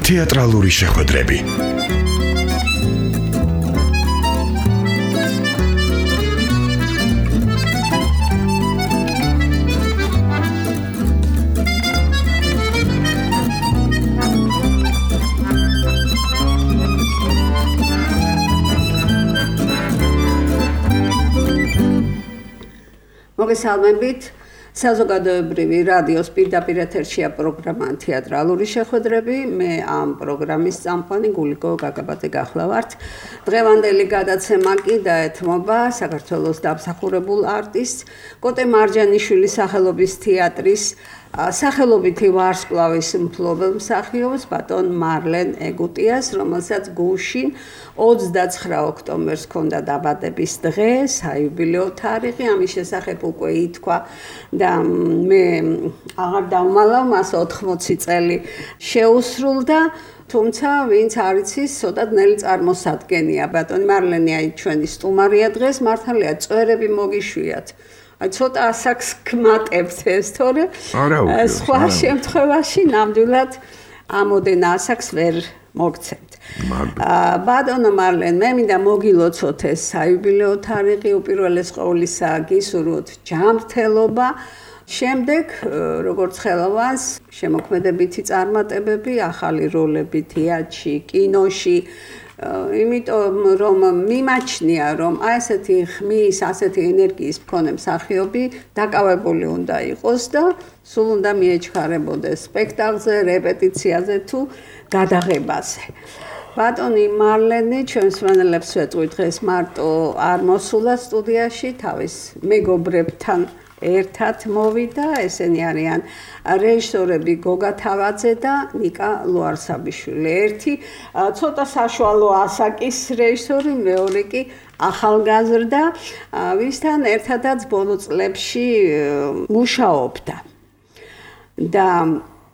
თეატრალური შეხვედრები. მოგესალმებით. საზოგადოებრივი რადიოს პირდაპირ ეთერშია პროგრამა თეატრალური შეხვედრები. მე ამ პროგრამის წამყვანი გულიკო გაგაბაძე გახლავართ. დღევანდელი გადაცემა კი დაეთმობა საქართველოს დამსახურებულ არტისტს კოტე მარჯანიშვილის სახელობის თეატრის სახელობითი ვარსკვლავის მფლობელ მსახიობს ბატონ მარლენ ეგუტიას, რომელსაც გუშინ 29 ოქტომბერს ჰქონდა დაბადების დღე, საიუბილეო თარიღი, ამის შესახებ უკვე ითქვა და მე აღარ დავმალავ, მას 80 წელი შეუსრულდა. თუმცა ვინც არ იცის, ცოტა ძნელი წარმოსადგენია. ბატონი მარლენი აი ჩვენი სტუმარია დღეს, მართალია წვერები მოგიშვიათ. ცოტა ასაკს გმატებთ ეს, თორე სხვა შემთხვევაში ნამდვილად ამოდენ ასაკს ვერ მოგცემთ. ბატონო მარლენ, მე მინდა მოგილოცოთ ეს საიუბილეო თარიღი, უპირველეს ყოვლისა გისურვოთ ჯანმრთელობა. შემდეგ, როგორც ხელოვანს, შემოქმედებითი წარმატებები, ახალი როლები თეატრში, კინოში. იმიტომ რომ მიმაჩნია რომ აი ესეთი ხმის, ასეთი ენერგიის მქონე მსახიობი დაკავებული უნდა იყოს და სულ უნდა მიეჩქარებოდეს სპექტაკლზე, რეპეტიციაზე თუ გადაღებაზე. ბატონი მარლენი ჩვენს მენელებს ვეტყვი დღეს მარტო არ მოსულა სტუდიაში, თავის მეგობრებთან ერთად მოვიდა, ესენი არიან რეჟისორები გოგა თავაძე და ნიკა ლუარსაბიშვილი. ერთი ცოტა საშუალო ასაკის რეჟისორი, მეორე კი ახალგაზრდა, ვისთან ერთადაც ბოლო წლებში მუშაობდა. და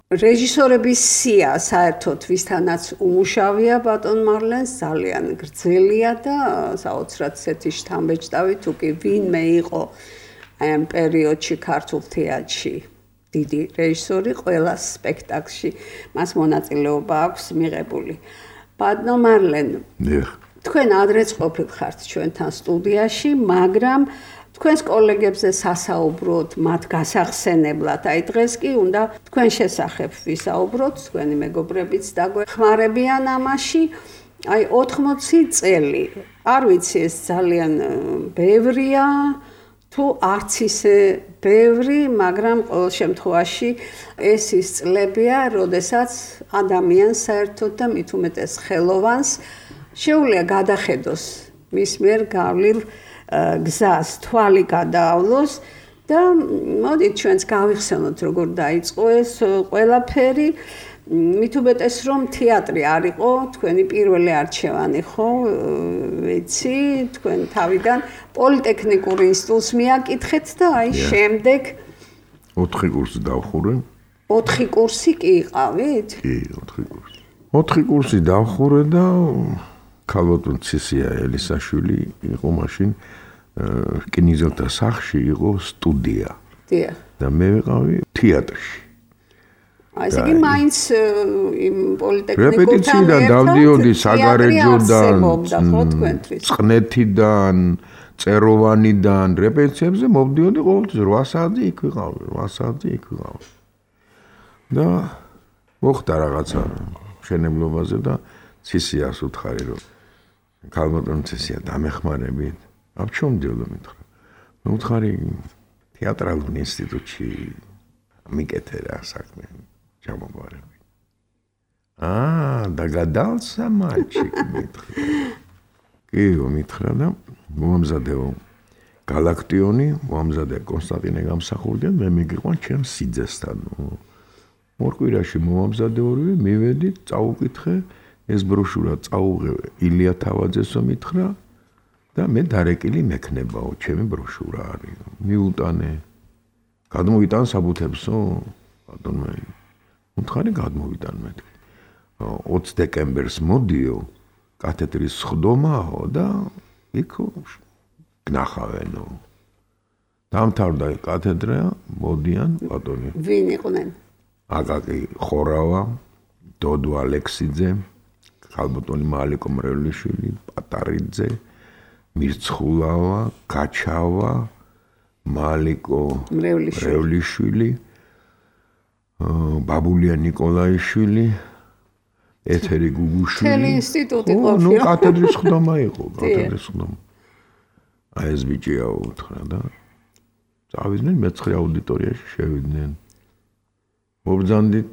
რეჟისორების სია საერთოდ ვისთანაც უმუშავია ბატონ მარლენს ძალიან გრძელია და საოცრად ისეთი შთამბეჭდავი თუ კი ვინმე იყო აი ამ პერიოდში ქართულ თეატრში დიდი რეჟისორი, ყველა სპექტაკლში მას მონაწილეობა აქვს მიღებული. ბატონო მარლენ, თქვენ ადრეც ყოფილხართ ჩვენთან სტუდიაში, მაგრამ თქვენს კოლეგებზე სასაუბროთ, მათ გასახსენებლად. აი დღეს კი უნდა თქვენ შესახებ ვისაუბროთ, თქვენი მეგობრებიც დაგვეხმარებიან ამაში. აი 80 წელი, არ ვიცი ეს ძალიან ბევრია თუ არც ისე ბევრი, მაგრამ ყოველ შემთხვევაში ეს ის წლებია, როდესაც ადამიანს საერთოდ და მით უმეტეს ხელოვანს შეუძლია გადახედოს მის მიერ გავლილ გზას, თვალი გადაავლოს და მოდით ჩვენც გავიხსენოთ როგორ დაიწყო ეს ყველაფერი. მით უმეტეს რომ თეატრი არ იყო თქვენი პირველი არჩევანი, ხო? ვიცი, თქვენ თავიდან პოლიტექნიკურ ინსტიტუტს მიაკითხეთ და აი შემდეგ 4 კურსი დავხურე. 4 კურსი კი იყავით? კი, 4 კურსი. 4 კურსი დავხურე და ქალბატონ ცისია ელისაშვილი იყო მაშინ რკინიგზელთა სახლში იყო სტუდია. დიახ. და მე ვიყავი თეატრში. აი ესე იგი მაინც იმ პოლიტექნიკურთან რეპეტიციიდან დავდიოდი საგარეჯოდან, წყნეთიდან, წეროვანიდან, რეპეტიციებზე მოვდიოდი ყოველთვის 8 საათი იქ ვიყავი, 8 საათი იქ ვიყავი. და მოხდა რაღაცა მშენებლობაზე და ცისიას უთხარი რომ ქალბატონ ცისია დამეხმარებით. აბ ჩომ მდიოდო მითხრა. მე უთხარი თეატრალურ ინსტიტუტში მიკეთე რა საქმე. ჩამოგვარები. დაგადალსა მალჩიკ მითხრა. კი, მითხრა და მოამზადეო გალაქტიონი, მოამზადე კონსტანტინე გამსახურდიან, მე მიგიყვან ჩემს სიძესთან. 2 კვირაში მოამზადე ორივე, მივედი, წაუკითხე, ეს ბროშურა წაუღე ილია თავაძესო მითხრა და მე დარეკილი მექნებაო, ჩემი ბროშურა არის. მიუტანე. გადმოვიტან საბუთებსო, ბატონო. უთხარი გადმოვიტან მეთქი. 20 დეკემბერს მოდიო, კათედრის სხდომაო და იქ გნახავენო. დამთავრდა კათედრა, მოდიან ბატონი. ვინ იყვნენ? აკაკი ხორავა, დოდო ალექსიძე, ხალბატონი მალიკო მრევლიშვილი, პატარიძე, მირცხულავა, გაჩავა, მალიკო მრევლიშვილი, ბაბულია ნიკოლაიშვილი, ეთერი გუგუშვილი. მთელი ინსტიტუტი ყოფილა. ნუ კათედრის ხდომა იყო, კათედრის ხდომა. აი ეს ბიჭია უთხრა და წავიდნენ მეცხრე აუდიტორიაში შევიდნენ. მობრძანდით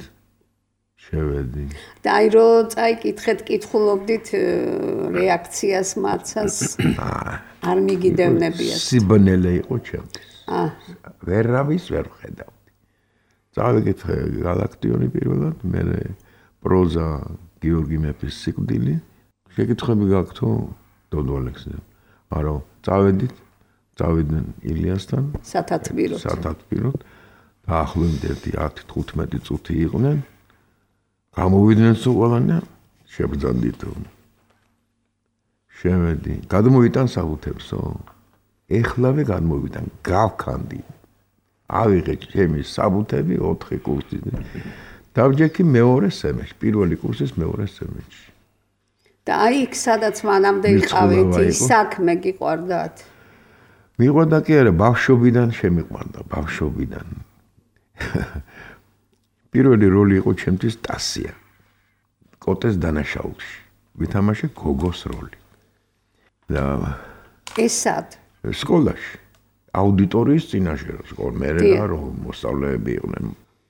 შევედი. და აი რო წაიკითხეთ, კითხულობდით რეაქციას მაცას არ მიგიდევნებიათ. სიბნელე იყო ჩემთვის. ვერავის ვერ ვხედავდი. წავიკითხე გალაქტიონი პირველად, მე პროზა გიორგი მეფის სიკვდილი. შეკითხვები გაქვთო დოდო ალექსიძე. არა, წავიდნენ ილიასთან სათათბიროდ. დაახლოებით 10-15 წუთი იყვნენ. გამოვიდნენ სულყალანა, შებრძანდითო. შევედი, გადმოვიტან საბუთებსო. ეხლავე გადმოვიტან, გავქანდი. ავიღე ჩემი საბუთები 4 კურსი. დავჯექი მეორე სემესტრში, პირველი კურსის მეორე სემესტრში. და აი იქ სადაც მანამდე იყავით, საქმე გიყვარდათ? მიყვარდა კი არა, ბავშვობიდან შემიყვარდა, ბავშვობიდან. პირველი როლი იყო ჩემთვის ტასია. კოტეს დანაშაულში. ვითამაშე გოგოს როლი. და ეს სად? სკოლაში. აუდიტორიის წინაშე მერე რომ მოსწავლეები იყვნენ.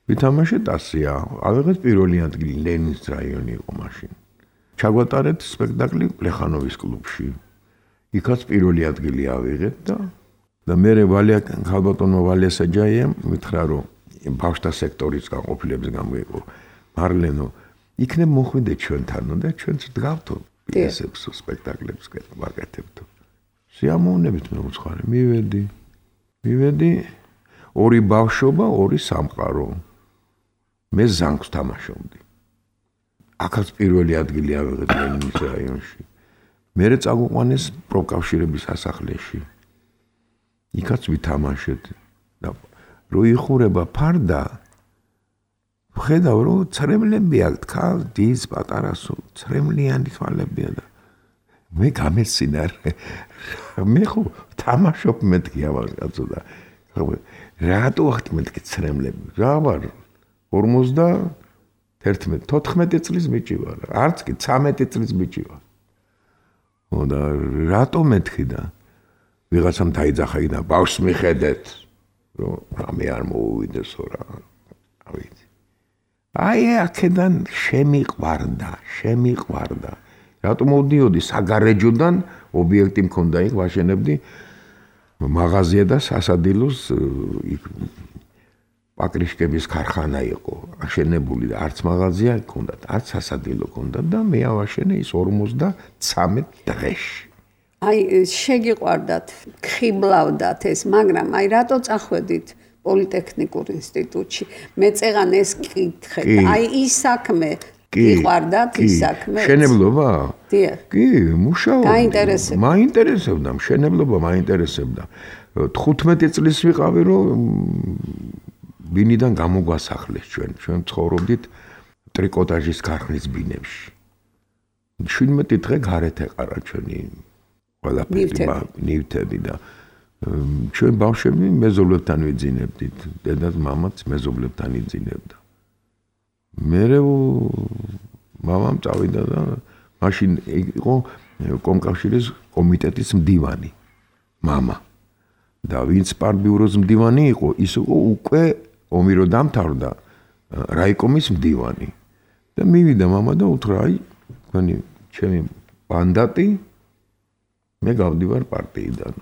ვითამაშე ტასია. ავიღეთ პირველი ადგილი ლენინის რაიონი იყო მაშინ. ჩაგვატარეთ სპექტაკლი პლეხანოვის კლუბში. იქაც პირველი ადგილი ავიღეთ და მერე ხალბატონმა ვალია საჯაიამ მითხრა რომ ბავშთა სექტორის განყოფილების გამო მარლენო იქნებ მოხვიდე ჩვენთანო და ჩვენც დგავთო პიესებს სპექტაკლებს ვაკეთებდო. სიამოვნებით მე უცხარე მივედი ორი ბავშვობა, ორი სამყარო. მე ზანგს თამაშობდი. აქაც პირველი ადგილი ავიღეთ ლენინის რაიონში. მერე წაგვიყვანეს პროკავშირების სასახლეში. იქაც ვითამაშეთ და რო იხურება ფარდა ვხედავ რომ ცრემლებია თქვა დის პატარასო ცრემლიანი თვალებია და მე გამეცინარ მე ხო თამაშობ მეთქი ავიღაცო და რატო ახთ მეთქი ცრემლები რა ვარ 14 წლის ბიჭი ვარ არც კი 13 წლის ბიჭი ვარ და რატო მეთქი და ვიღაცამ დაიძახა და ბავშვს მიხედეთ რომ რამე არ მოუვიდეს რა ავით აი აქედან შემიყვარდა რატო მოვდიოდი საგარეჯოდან ობიექტი მქონდა იქ ვაშენებდი მაღაზია და სასადილოს პაკრიშკების ქარხანა იყო აშენებული და არც მაღაზია ჰქონდა არც სასადილო ჰქონდა და მე ავაშენე ის 53 დღეში აი შეგიყვარდათ ხიბლავდათ ეს მაგრამ აი რატო წახვედით პოლიტექნიკურ ინსტიტუტში მე წეღან ეს კითხეთ აი ის საქმე გიყვარდათ ის საქმე შენებლობა კი მუშაობდი მაინტერესებდა შენებლობა მაინტერესებდა 15 წლის ვიყავი რომ ბინიდან გამოგვასახლეს ჩვენ ცხოვრობდით ტრიკოტაჟის ქარხნის ბინებში 17 დღე გარეთ ეყარა ჩვენი ნივთები და ჩვენ ბავშვები მეზობლებთან ვიძინებდით დედაც მამაც მეზობლებთან იძინებდა მერე მამამ წავიდა და მაშინ იყო კომკავშირის კომიტეტის მდივანი მამა და ვინც პარტბიუროს მდივანი იყო ის იყო უკვე ომი რო დამთავრდა რაიკომის მდივანი და მივიდა მამა და უთხრა აი თქვენი ჩემი მანდატი მე გავდივარ პარტიიდან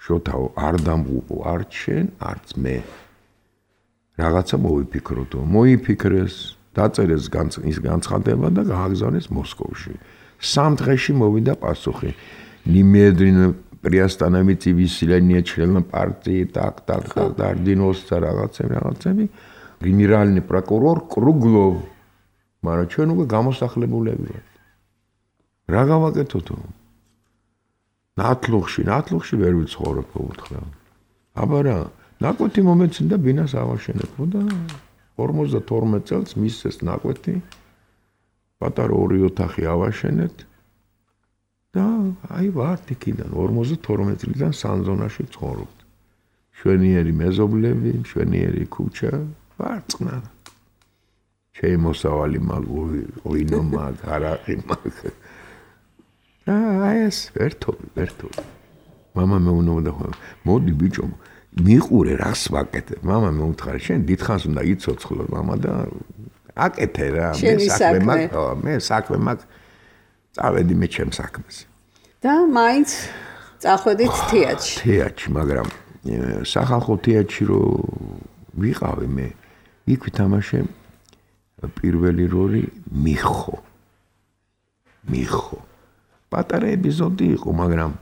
შოთაო არ დამღუპო არც შენ არც მე რაღაცა მოვიფიქროთო მოიფიქრეს დაწერეს ის განცხადება და გააგზავნეს მოსკოვში 3 დღეში მოვიდა პასუხი немедленно приостановите выселение членов партии так орденовца რაღაცები генеральный прокурор Круглов მაგრამ ჩვენ უკვე გამოსახლებულები ვართ რა გავაკეთოთო ნათლუღში ვერ ვიცხოვრობ უთხრა. აბა რა, ნაკვეთი მომეცინდა ბინას ავაშენებო და 52 წელს მისცეს ნაკვეთი. პატარა 2 ოთახი ავაშენეთ და აი ვართ იქიდან 52 წლიდან სანზონაში ცხოვრობთ. შვენიერი მეზობლები, შვენიერი ქუჩა, ვარწყნა. შემოსავალი მაგ ოინო მაგ არაყი მაგ. აი ეს ერთობი. მამა მეუბნება, მოდი ბიჭო, მიყურე რას ვაკეთებ. მამა მეუთხარა, შენ დიდხანს უნდა იცოცხლო მამა და აკეთე რა, მე საქმე მაგ წავედი მე ჩემ საქმეზე. და მაინც წახვედით თეატრში. თეატრში, მაგრამ სახალხო თეატრში რო ვიყავი მე, იქ ვითამაშე პირველი როლი მიხო. პატარა ეპიზოდი იყო, მაგრამ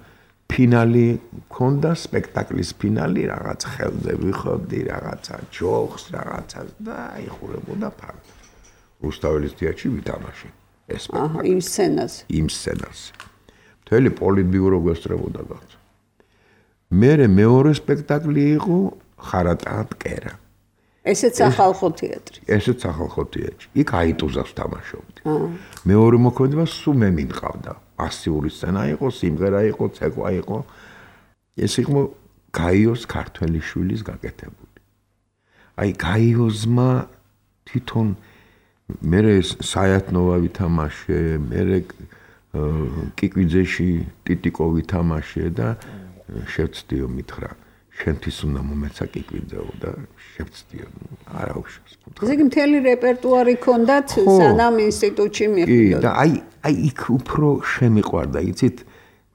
ფინალი ქონდა, სპექტაკლის ფინალი, რაღაც ხელზე ვიხობდი, რაღაცა ჯოხს, რაღაცა და იხურებოდა ფაქტ. რუსთაველის თეატრში ვითამაშე ეს სპექტაკლი. იმ სცენაზე. მთელი პოლიტბიურო გვესწრებოდა გაცა. მერე მეორე სპექტაკლი იყო ხარატა მტკერა. ესეც სახალხო თეატრი. იქ აიტუზას ვთამაშობდი. მეორე მოქმედება სულ მე მიყავდა. ასიური სცენა იყო, სიმღერა იყო, ცეკვა იყო. ეს იყო გაიოს ქართველიშვილის გაკეთებული. აი გაიოზმა თვითონ მერე საიათნოვა ვითამაშე, მერე კიკვიძეში ტიტიკო ვითამაშე და შევცდიო მითხრა. შენთვის უნდა მომეცა კიკვიძეო და შევცდიო. არა უშავს. ესე იგი მთელი რეპერტუარი ქონდათ სანამ ინსტიტუტში მივიდოდ. და აი იქ უფრო შემიყვარდა, იცით?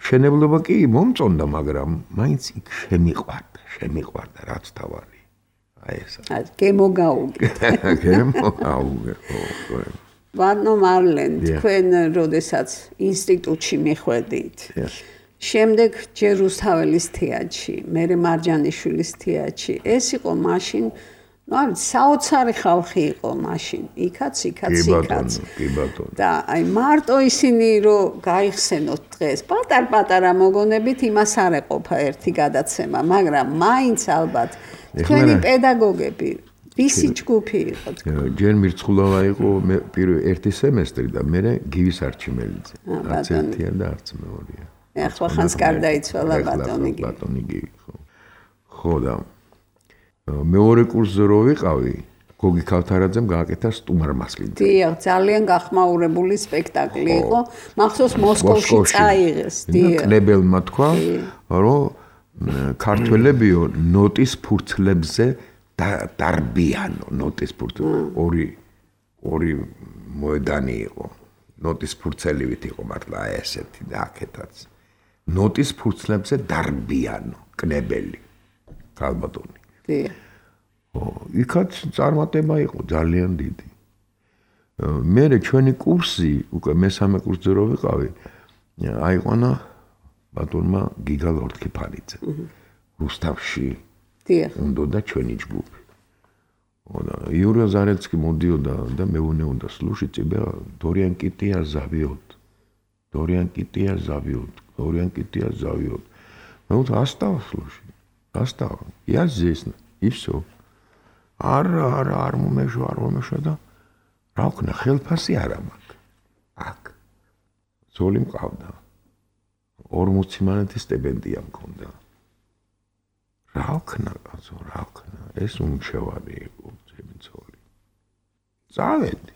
მშენებლობა კი მომწონდა, მაგრამ მაინც იქ შემიყვარდა, რაც თავარი. აი ესა. გემოგაუგე. ვანო მარლენ, თქვენ როდესაც ინსტიტუტში მიხვედით. შემდეგ ჯერ რუსთაველის თეატრში, მერე მარჯანიშვილის თეატრში. ეს იყო მაშინ, საოცარი ხალხი იყო მაშინ. იქაც. და აი მარტო ისინი რომ გაიხსენოთ დღეს, პატარ-პატარა მოგონებით იმას არ ეყოფა ერთი გადაცემა, მაგრამ მაინც ალბათ თქვენი პედაგოგები ვისი ჯგუფი იყო? ჯერ მირცხულავა იყო ერთი სემესტრი და მერე გივის არჩიმელიძე. არც ერთია და არც მეორეა. ახლა ხანს გარდაიცვალა ბატონი გივი. ხო და მეორე კურსზე რო ვიყავი, გოგი ქავთარაძემ გააკეთა სტუმარმასლინი. დიახ, ძალიან გახმაურებული სპექტაკლი იყო. მახსოვს მოსკოვში წაიღეს. დიახ. კლებელმა თქვა, რომ ქართველებიო ნოტის ფურცლებზე დარბიანო, ნოტის ფურცლებზე. ორი მოედანი იყო. ნოტის ფურცელივით იყო მართლა ესეთი და აქეთაც. ნოტის ფურცლებზე დარბიანო, კნებელი. ქალბატონი. იქაც წარმატება იყო ძალიან დიდი. მერე ჩვენი კურსი, უკვე მესამე კურსზე რო ვიყავი, აიყვანა ბატონმა გიგა ლორთქიფანიძე. რუსთავში უნდოდა ჩვენი ჯგუფი. იურია ზარეცკი მოდიოდა და მეუნეუნდა სლუში წიბე დორიან კიტია ზავიოთ. მე ვთქვი ასტავა სლუში. ასტავა. Я здесь. И всё. არ მომეშვა და რა ვქნა ხელფასი არა მაქვს. აქ. ზოლი მყავდა. 40 მანეთის სტიპენდია მქონდა. რა ვქნა, ეს უმჩევარი იყო ჩემი ზოლი. წავედი.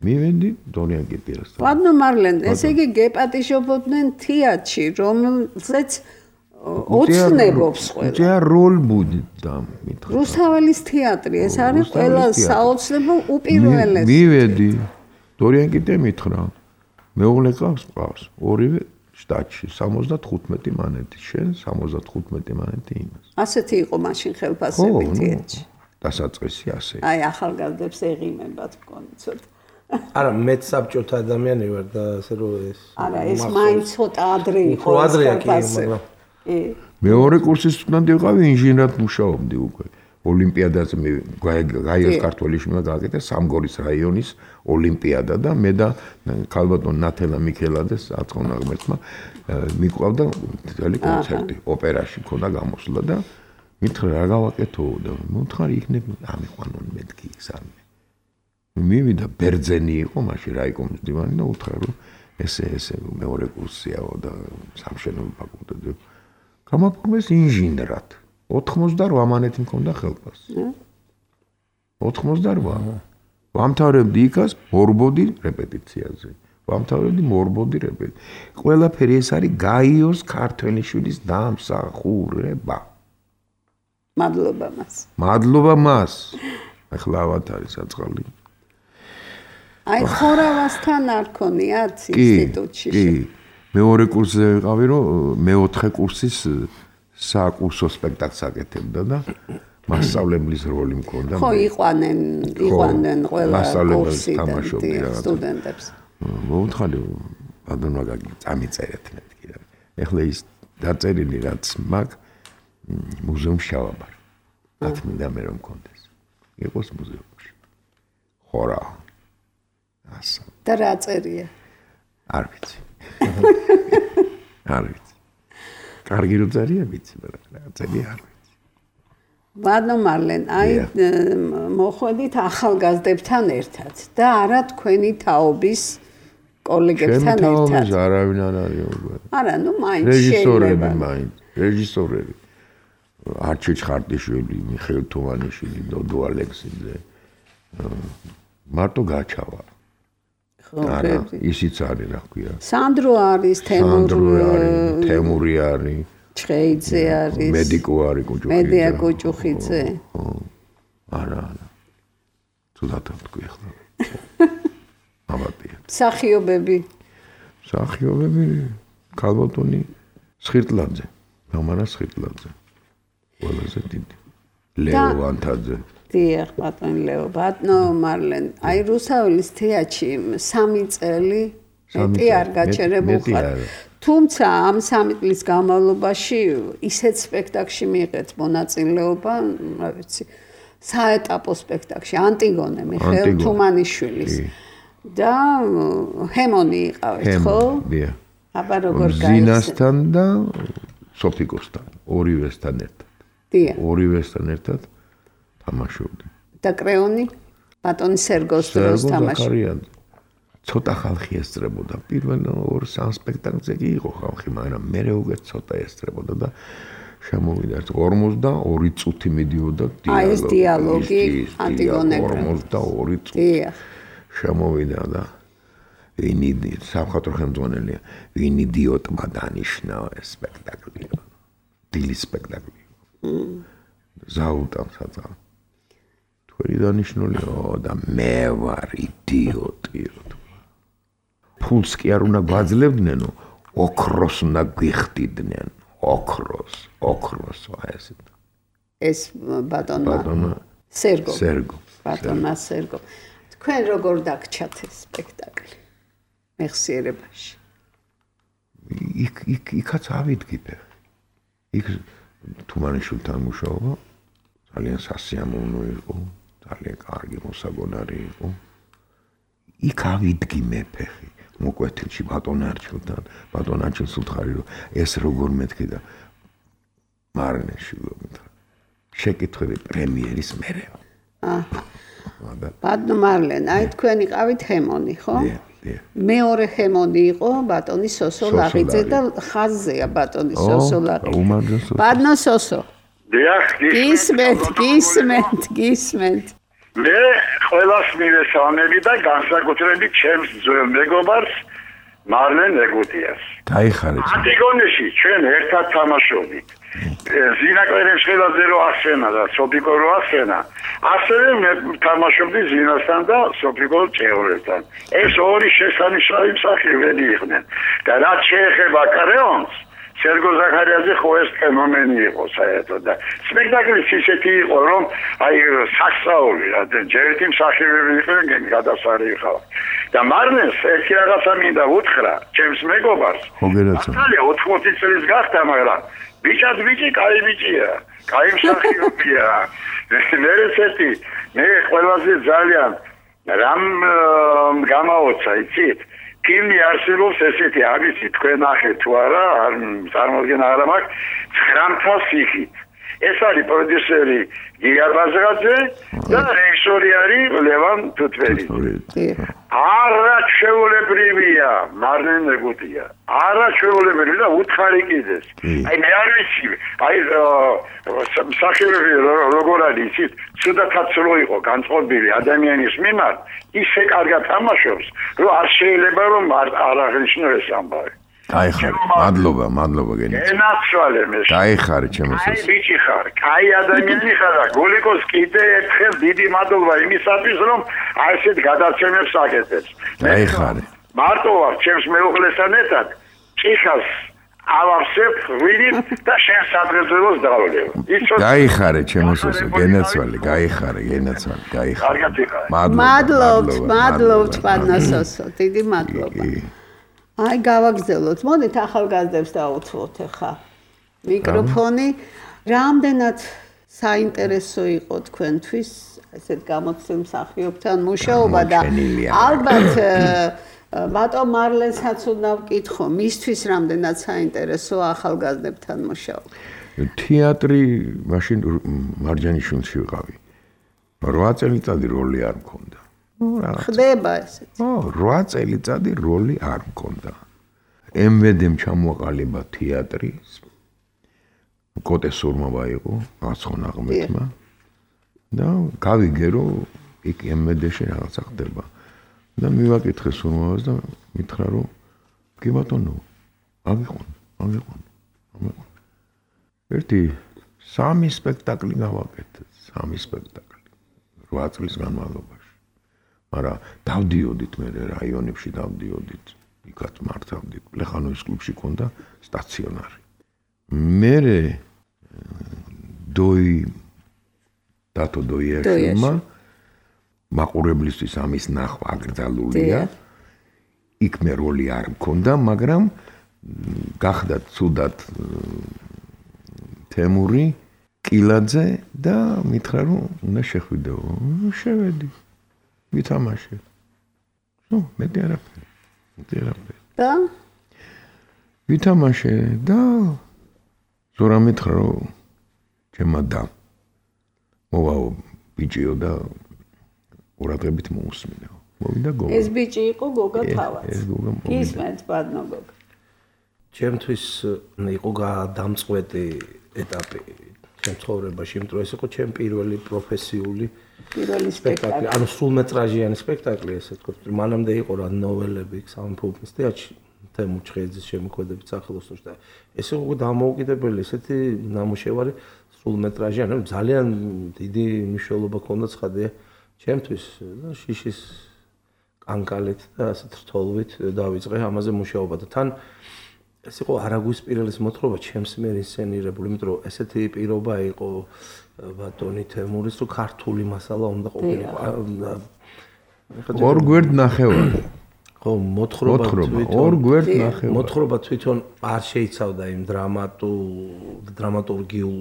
მივედი დორიან კიტიას. ვადნო მარლენ, ესე იგი გეპატიჟობდნენ თეატრში, რომელზეც ოცნებობს ყველა. ჯერ როლ ბუდდა მითხრა. რუსთაველის თეატრი, ეს არის ყველა საოცნებო უპირველესი. მივედი. დორიან კიტე მითხრა. მეუღლე ყავს, ორივე შტატში 75 მანეთი, შენ 75 მანეთი იმას. ასეთი იყო მაშინ ხელფასები თეატრში. დასაწყისი ასე. აი ახალგაზრდებს ეღიმებათ მგონი ცოტა. არა, მეც საბჭოთა ადამიანი ვარ და ასე რომ ეს. არა, ეს მაინც ცოტა ადრე იყო. უფრო ადრეა კი, მაგრამ მეორე კურსის სტუდენტი ვიყავი, ინჟინერად მუშაობდი უკვე. ოლიმპიადაზე მე გაიოს ქართველი შვილმა გააკეთა სამგორის რაიონის ოლიმპიადა და მე და ქალბატონ ნათელა მიქელადეს აწყონა ღმერთმა მიყვავდა ძველი კონცერტი ოპერაში ქონდა გამოსვლა და მითხრა რა გავაკეთო და მომთხარი იქნებ ამიყვანონ მეთქი სამ მივიდა ბერძენი იყო მაშინ რაიკომის დივანი და უთხრა რომ ესე მეორე კურსიაო და სამშენებლო ფაკულტეტზე გამაფორმეს ინჟინრად 88 მანეთი მქონდა ხელფას 88 ვამთავრებდი იქას მორბოდი რეპეტიციაზე ვამთავრებდი მორბოდი რეპეტიცია ყველაფერი ეს არის გაიოს ქართველიშვილის დამსახურება მადლობა მას ახლა ავად არის აწყალი აი ხორავასთან არ ქონიათ ინსტიტუტში კი მეორე კურსზე ვიყავი რომ მეოთხე კურსის საკურსო სპექტაკლს აკეთებდა და მასწავლებლის როლი მქონდა ხო იყვანენ ყველა კურსიდან სტუდენტებს მომთხარი ბატონო გაგი წამიწერეთ მეთქი რა ეხლა ის დაწერილი რაც მაგ მუზეუმში შევაბარ რაც მინდა მე რომ მქონდეს იყოს მუზეუმში ხორა ასა და რა წერია არ ვიცი კარგი რო წერია ვიცი მაგრამ რა წერია არ ვიცი ბატონო მარლენ აი მოხვედით ახალგაზრდებთან ერთად და არა თქვენი თაობის კოლეგებთან ერთად არავინ არ არის არა ნუ მაინც რეჟისორები არჩილ ხარტიშვილი მიხეილ თუმანიშვილი დოდო ალექსიძე მარტო გაჩავა არა ისიც არის რა ქვია სანდრო არის თემური არის ჩხეიძე არის მედიკო არის კოჭუხიძე არა თუდად თქვი ახლა ამატია სახიობები ქალბატონი სხირტლაძე მამანა სხირტლაძე ყველაზე დიდი ლეო ვანთაძე დიახ ბატონო ლეო ბატონო მარლენ აი რუსაველის თეატრში 3 წელი მეტი არ გაჩერებულ ხარ თუმცა ამ 3 წლის განმავლობაში ისეთ სპექტაკლში მიიღეთ მონაწილეობა რა ვიცი საეტაპო სპექტაკლში ანტიგონე მიხეილ თუმანიშვილის და ჰემონი იყავით ხო დიახ აბა როგორ გაიცე ზინასთან და სოფიკოსთან ორივესთან ერთად დიახ ორივესთან ერთად თამაშობდი და კრეონი ბატონი სერგოს დროს თამაშობდი ცოტა ხალხი ესწრებოდა პირველ 2-3 სპექტაკლზე კი იყო ხალხი მაგრამ მე უკვე ცოტა ესწრებოდა და შემოვიდა 42 წუთი მიდიოდა დიალოგი ანტიგონეკრა 42 წუთი შემოვიდა და ვინი სამხატვრო ხელმძღვანელია ვინ იდიოტმა დანიშნა ეს სპექტაკლი დილის სპექტაკლი ზაუტამ საძა თქვენი დანიშნულია და მე ვარ იდიოტი ფულს კი არ უნდა გვაძლევდნენ ოქროს უნდა გვიხდიდნენ ოქროს ეს ბატონო სერგო ბატონა სერგო თქვენ როგორ დაგჩათ ეს სპექტაკლი მეხსიერებაში იქაც ავიდგი ფეხი იქ თუმანიშვილთან მუშაობა ძალიან სასიამოვნო იყო ძალიან კარგი მოსაგონარი იყო იქ ავიდგი მე ფეხი მოკვეთილში ბატონ არჩილთან ბატონ არჩილს უთხარი რომ ეს როგორ მეთქი და მარნეშვილო მითხრა შეკითხვები პრემიერის მერე ბატონო მარლენ აი თქვენ იყავით ჰემონი ხო მეორე ჰემონი იყო ბატონი სოსო ლაღიძე და ხაზზეა ბატონი სოსო ლაღიძე ბატონო სოსო გისმენთ მე ყველას მივესალმები და განსაკუთრებით ჩემს ძველ მეგობარს მარლენ ეგუდიას დაიხარეთ ანტიგონეში ჩვენ ერთად თამაშობდით ზინა კვერემშვილაძე რო ასენა და სოფიკო რო ასენა ასევე მე თამაშობდი ზინასთან და სოფიკო ჭეორესთან ეს ორი შესანიშნავი მსახიობები იყვნენ და რაც შეეხება კრეონს სერგო ზაქარიაძე ხო ეს ფენომენი იყო საერთოდ და სპექტაკლის ისეთი იყო რომ აი სასწაული რა ჯერ ერთი მსახიობები იყვნენ გადასარიხავ და მარნეს ერთი რაღაცა მინდა უთხრა ჩემს მეგობარს ახალია 80 წლის გახდა მაგრამ ბიჭად ბიჭი კაი ბიჭია კაი მსახიობია მე ყველაზე ძალიან რამ გამაოცა იცით ფილმი არსებობს ესეთი არის თქვენ ახეთ თუ არა არ წარმოდგენა არ მაქვს 900 სიხით ეს არის პროდიუსერი გიგა ბაზრაძე და რეჟისორი არის ლევან თუთბერიძე არაჩვეულებრივია მარნენ ეგუტია არაჩვეულებრივია და უთხარი კიდეს აი მე არ ვიცი აი მსახიობები როგორ არის იცით ცუდათაც რო იყო განწყობილი ადამიანის მიმართ ისე კარგად თამაშობს რომ არ შეიძლება რომ არ აღნიშნო ეს ამბავი მადლობა გენაცვალე მე გაიხარე ჩემო აი ბიჭი ხარ კაი ადამიანი ხარ და გოლიკოს კიდე ერთხელ დიდი მადლობა იმისათვის რომ აი ესეთ გადაცემებს აკეთებს გაიხარე მარტო ვარ ჩემს მეუღლესთან ერთად ჭიხას ავავსებ ვიდით და შენ სადღეძელოს დავლევ გაიხარე ჩემო სოსო გენაცვალე გაიხარე მადლობთ პანასოსო დიდი მადლობა აი გავაგზავნოთ მოდით ახალგაზრდებს დაუთმოთ ახლა მიკროფონი რამდენად საინტერესო იყო თქვენთვის ესეთ გამოცდილ მსახიობთან მუშაობა და ალბათ ბატონ მარლენსაც უნდა ვკითხო მისთვის რამდენად საინტერესო ახალგაზრდებთან მუშაობა თეატრი მაშინ მარჯანიშვილში ვიყავი 8 წელიწადი როლი არ მქონდა ხდება ესეც 8 წელიწადი როლი არ მქონდა MVD-მ ჩამოაყალიბა თეატრი კოტე სურმობა იყო აცხონ აღმეთმა და გავიგე რომ იქ MVD-ში რაღაცა ხდება და მივაკითხე სურმობას და მითხრა რომ კი ბატონო აგიყვან ერთი 3 სპექტაკლი გავაკეთე 3 სპექტაკლი 8 წლის განმავლობაში მაგრამ დავდიოდით მე რაიონებში დავდიოდით იქაც მართავდით პლეხანოვის კლუბში ქონდა სტაციონარი მე დათო დოიაშვილმა მაყურებლისთვის ამის ნახვა აკრძალულია იქ მე როლი არ მქონდა მაგრამ გახდა ცუდად თემური კილაძე და მითხრა რომ უნდა შეხვიდეო შევედი ვითამაშე მეტი არაფერი და ვითამაშე და ზურა მითხრა რომ ჩემმა და მოვაო ბიჭიო და ყურადღებით მოусმინეო მოვიდა გოგა ეს ბიჭი იყო გოგა თავად ისმენთ ბადნო გოგა ჩემთვის იყო გადამწყვეტი ეტაპი ჩემ ცხოვრებაში იმიტომ რომ ეს იყო ჩემი პირველი პროფესიული სპექტაკლი ანუ სრულმეტრაჟიანი სპექტაკლი ესე ვთქვათ მანამდე იყო რა ნოველები სამფულფის თეატრში თემურ ჩხეიძის შემოქმედებით სახელოსნოში და ეს იყო დამოუკიდებელი ესეთი ნამუშევარი სრულმეტრაჟიანი ანუ ძალიან დიდი მნიშვნელობა ჰქონდა ცხადია ჩემთვის და შიშის კანკალით და ასეთ რთოლვით დავიწყე ამაზე მუშაობა და თან ეს იყო არაგვისპირელის მოთხრობა ჩემს მიერ ინსცენირებული იმიტომ რომ ესეთი პირობა იყო ბატონი თემურის რომ ქართული მასალა უნდა ყოფილიყო ორ გვერდ ნახევარი ხო მოთხრობა ორ გვერდ ნახევარი მოთხრობა თვითონ არ შეიცავდა იმ დრამატურგიულ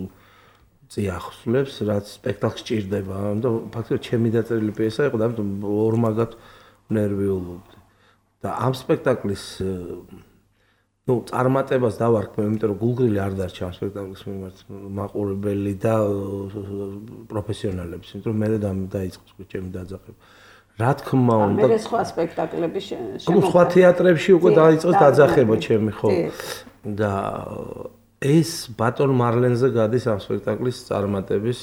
წიაღსვლებს რაც სპექტაკლს ჭირდება და ფაქტობრივად ჩემი დაწერილი პიესა იყო და ამიტომ ორმაგად ნერვიულობდი და ამ სპექტაკლის წარმატებას დავარქმევ, იმიტომ რომ გულგრილი არ დარჩა ამ სპექტაკლის მიმართ მაყურებელი და პროფესიონალებს, იმიტომ რომ მე დაიწყო ჩემი დაძახება. რა თქმა უნდა, მე სხვა სპექტაკლები სხვა თეატრებში უკვე დაიწყო დაძახება ჩემი, ხო. და ეს ბატონ მარლენზე გადის ამ სპექტაკლის წარმატების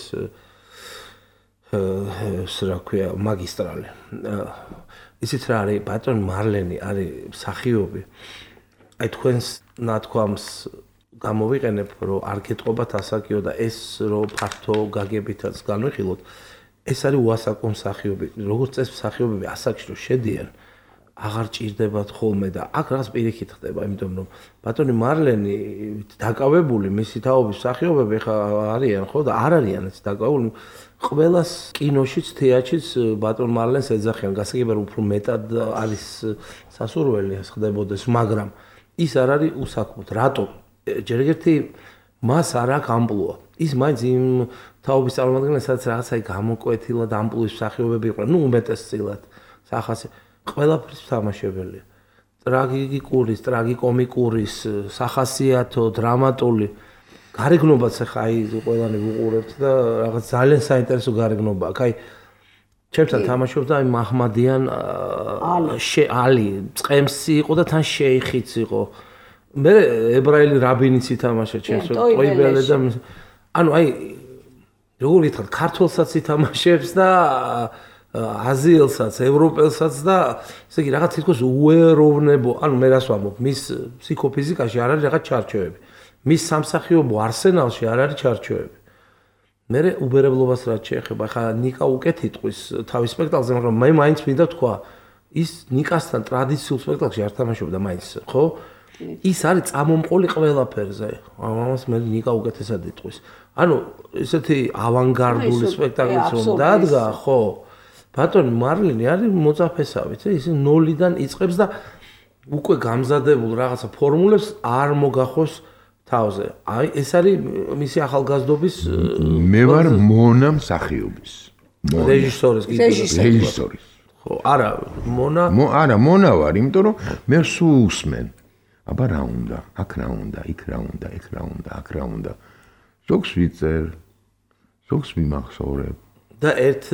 რა ქვია, მაგისტრალი. ისიც რა არის, ბატონ მარლენი არის მსახიობი. აი თქვენს ნათქვამს გამოვიყენებ, რომ არ გეტყობათ ასაკიო და ეს რომ ფართო გაგებითაც განვიხილოთ, ეს არის უასაკო მსახიობი. როგორც წესი მსახიობები ასაკში რომ შედიან, აღარ ჭირდებათ ხოლმე და აქ რაღაც პირიქით ხდება, იმიტომ რომ ბატონი მარლენი დაკავებული მისი თაობის მსახიობები ხა არიან ხო და არ არიან ეს დაკავებული ყველას კინოშიც, თეატრშიც ბატონ მარლენს ეძახიან, გასაგებია უფრო მეტად არის სასურველი ეს ხდებოდეს, მაგრამ ის არ არის უსაქმოდ. რატომ? ჯერ ერთი მას არ აქვს ამპლუა. ის მაინც იმ თაობის წარმომადგენელი, სადაც რაღაცა გამოკვეთილად ამპლუის მსახიობები იყვნენ, ნუ უმეტესწილად სახასე ყველაფრის თამაშებელია. ტრაგიკურის, ტრაგიკომიკურის, სახასიათო, დრამატული გარეგნობაც ახლა აი ყველანი ვუყურებთ და რაღაც ძალიან საინტერესო გარეგნობაა. აი ჩემთან თამაშობდა აი მაჰმადიან ალი, წემსი იყო და თან შეიხიც იყო. მე ებრაელი რაბინიც ითამაშა ჩემს ტოიბელე და ანუ აი როგორ ითხრათ ქართველსაც ითამაშებს და აზიელსაც, ევროპელსაც და ესე იგი რაღაც თითქოს უეროვნებო, ანუ მე რას ვამბობ, მის ფსიქოფიზიკაში არ არის რაღაც ჩარჩოები. მის სამსახიობო არსენალში არ არის ჩარჩოები. მე უბერებლობას რაც შეეხება, ხა ნიკა უკეთ იტყვის თავის სპექტაკლზე, მაგრამ მე მაინც მინდა თქვა, ის ნიკასთან ტრადიციულ სპექტაკლში არ თამაშობდა მაინც, ხო? ის არის წამომყოლი ყველაფერზე. ამას მე ნიკა უკეთესად იტყვის. ანუ ესეთი ავანგარდული სპექტაკლიც რომ დადგა, ხო? ბატონი მარლენი არის მოწაფესავით, ის ნოლიდან იწყებს და უკვე გამზადებულ რაღაცა ფორმულებს არ მოგახოს თავზე. აი ეს არის მისი ახალგაზრდობის მე ვარ მონა მსახიობის. რეჟისორის. ხო, არა, არა, მონა ვარ, იმიტომ რომ მე სულ უსმენ. აბა რა უნდა, აქ რა უნდა, იქ რა უნდა, ეგ რა უნდა, აქ რა უნდა. ზოგს ვიწერ, ზოგს მიმახსოვრებ. და ერთ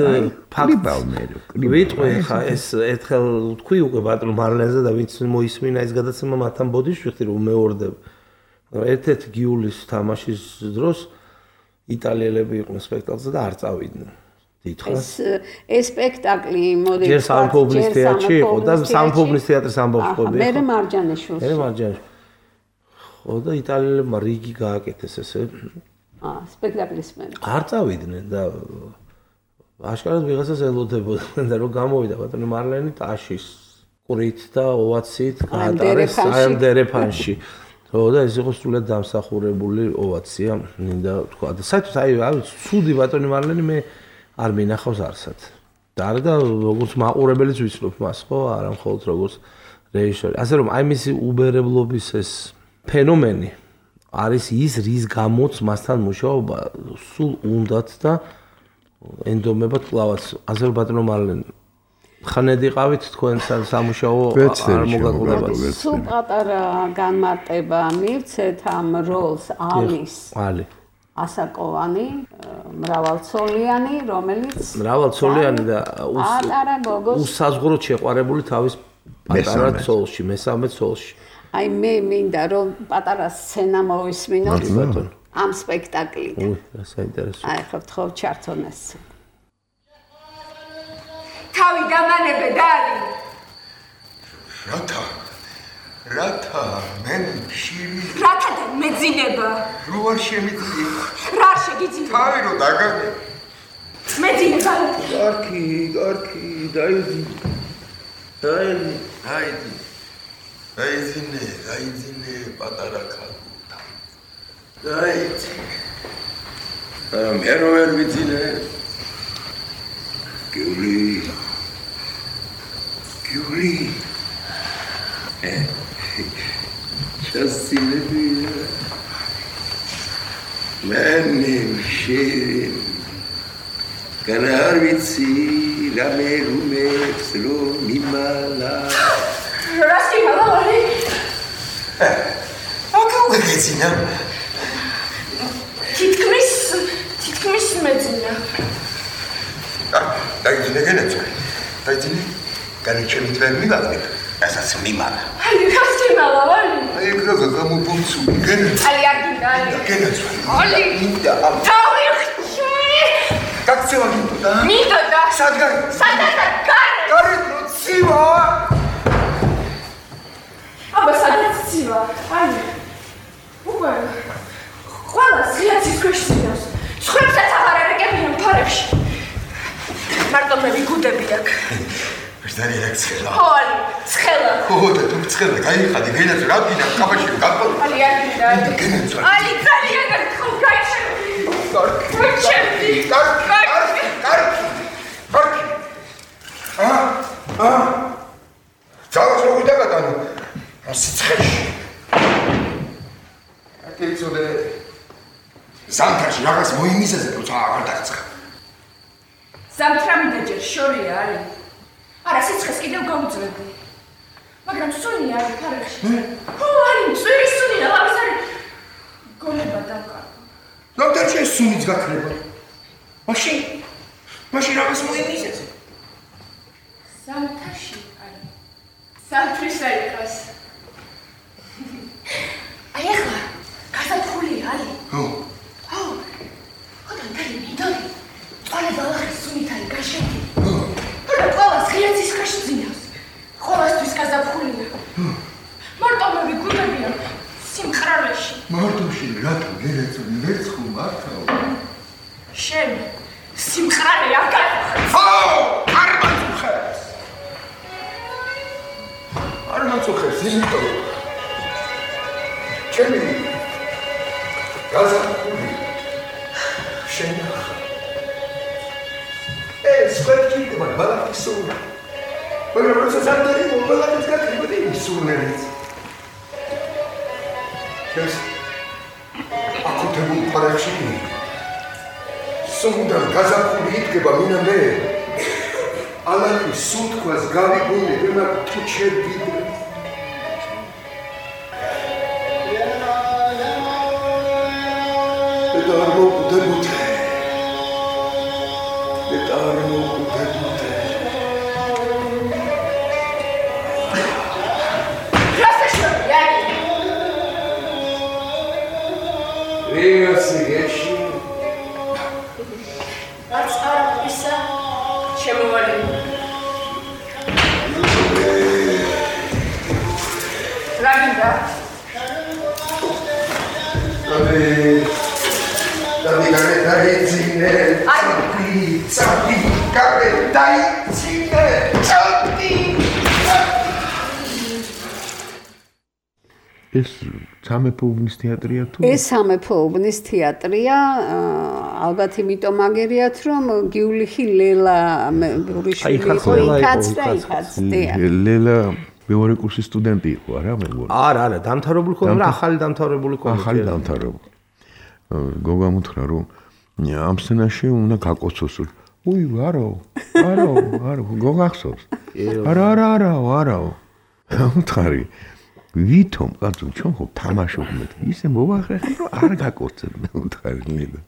ფაქტს ვიტყვი ხა ეს ერთხელ თქვი უკვე ბატონ მარლენზე და ვინც მოისმინა ეს გადაცემა მათთან ბოდიშვიხდი რომ მეორდებ. ერთ-ერთი გიულის თამაშის დროს იტალიელები იყვნენ სპექტაკლზე და არ წავიდნენ. დიდხანს ეს სპექტაკლი მოდი ჯერ სამფობლის თეატრში იყო და სამფობლის თეატრის ამბავს ყოფილი. მე მარჯანიშვილს. ხო და იტალიელებმა რიგი გააკეთეს ესე. სპექტაკლის მე. არ წავიდნენ და აშკარად ვიღაცას ელოდებოდნენ და რომ გამოვიდა ბატონი მარლენი ტაშის ყრით და ოვაციით გაატარეს საერთერეფანში. ხო და ეს იყო სულად დამსახურებული ოვაცია, მინდა თქვა და საერთოდ აი ცუდი ბატონი მარლენი მე არ მინახავს არსად. და არა და როგორც მაყურებელიც ვიცნობ მას, ხო, არა მხოლოდ როგორც რეჟისორი. ასე რომ აი მისი უბერებლობის ეს ფენომენი არის ის, რის გამოც მასთან მუშაობა სულ უნდათ და ენდომებად კლავაც. ასე რომ ბატონო მარლენი ხანედ იყავით თქვენ სამუშაო არ მოგაკლდებათ. სულ პატარა განმარტება მივცეთ ამ როლს ალი ასაკოვანი, მრავალცოლიანი, რომელიც მრავალცოლიანი და უსაზღვროდ შეყვარებული თავის პატარა ცოლში, მესამე ცოლში. აი მე მინდა რომ პატარა სცენა მოვისმინოთ ამ სპექტაკლიდან. რა საინტერესო. აი ხო ვთხოვ ჩართონ ეს. თავი გამანებე დალი. რათა მენ შირი. რათა და მეძინება. რო არ შემიძლია. რა შეგიძლია? თავი რო დაგაგე. მეძინება. გარკი, დაიძინე პატარა ქალთა. დაიძინე. მე რო ვერ ვიცინე. Gyuri. Chassinebia. Manim shirin. Kanarvitsi la merumets lo mimala. Rasti malari. Akau gezina. Titkmis medzina. Დაიძინე გენეცო. დაიძინე. განიჩემით ვერ მივაგნებ. რასაც მიმალა. აი, გასწინალა ვარი. აი, ეგრე გამობუნცული გენეცო. აი, არ გინდა. გენეცო. ალი. მინდა. თავი. გაქცევა მინდა. მინდა და. სადგარი. გარე. გარე პროცივა. აბა სადაც ცივა. აი. უკვე. ყველა სიაცის ქვეშინავს. სხვებსაც აღარ ერეკებიან ფარებში. მარტო მე ვიგუდები აქ. მგზარი რა ცხელა. ხო, ალი, ცხელა. ხო, და თუ ცხელა, გაიხადი, გენაც რა გინდა, კაბაში გაკვალ. ალი, ალი, ძალიან გაქო, გაიჩერდი. გაიჩერდი. ძალას რო ვიდაგატანო, სიცხეში. აკეცოდე ზამთარში რაღაც მოიმიზაზე, როცა აღარ დაგცხა. ზამთრამი დაჯერ შორია, ალი. არა, სიცხეს კიდევ გავუძლებდი. მაგრამ სუნი არის ფარაში. ხო, ალი, წვირი სუნია, ლამის არის. გონება დავკარგო. ზამთარში ეს სუნიც გაქრება. მაშინ რაღაც მოიმიზაზე. ზამთარში, ალი. ზამთრის აიყას. აი ახლა, გასათხოვლია, ალი. ხო. ხოდა მთელი მინდორი. ყველა ბალახის სუნით არის გაშენდი. ხოდა ყველას ღია ცისკრში ძინავს. ყოველთვის გასათხოვლია. მარტო მე ვიგუნებია სიმყრალეში. მარტოში რატო გერეცო მერცხუ მართავ? შენ სიმყრალე არ გაიხარ. ხო, არ მაწუხებს. არ მაწუხებს, იმიტომ ჩემი გასათხოვლია. შენ ეს ფერკიტება ბალახის სუნი. მაგრამ როცა ზამთარი მობალაკის გაქრიბდი სუნერიც. ეს აკუთებულ პარკში სუნდან გაზაფხული იდგება მინამდე ალაყის სუნთქვას გავიგონე ვენა თუჩები ეს სამეფო უბნის თეატრია თუ? ეს სამეფო უბნის თეატრია, ალბათ იმიტომ აგერიათ, რომ გიულიხი ლელა ბურიშვილი იყო იქაც და იქაც. ლელა მეორე კურსის სტუდენტი იყო, არა მეგონა? არა, დამთავრებული ხო, მაგრამ ახალი დამთავრებული ხო. ახალი დამთავრებული. გოგა მუთხრა რომ ამ სცენაში უნდა გაკოცოს. უი, არა, გოგახსოვს. არა. მუთხარი ვითომ კაცო ჩვენ ხო თამაშობ მე ისე მოვახერხე რომ არ გაკოცებ მე მუთხარი ლელა.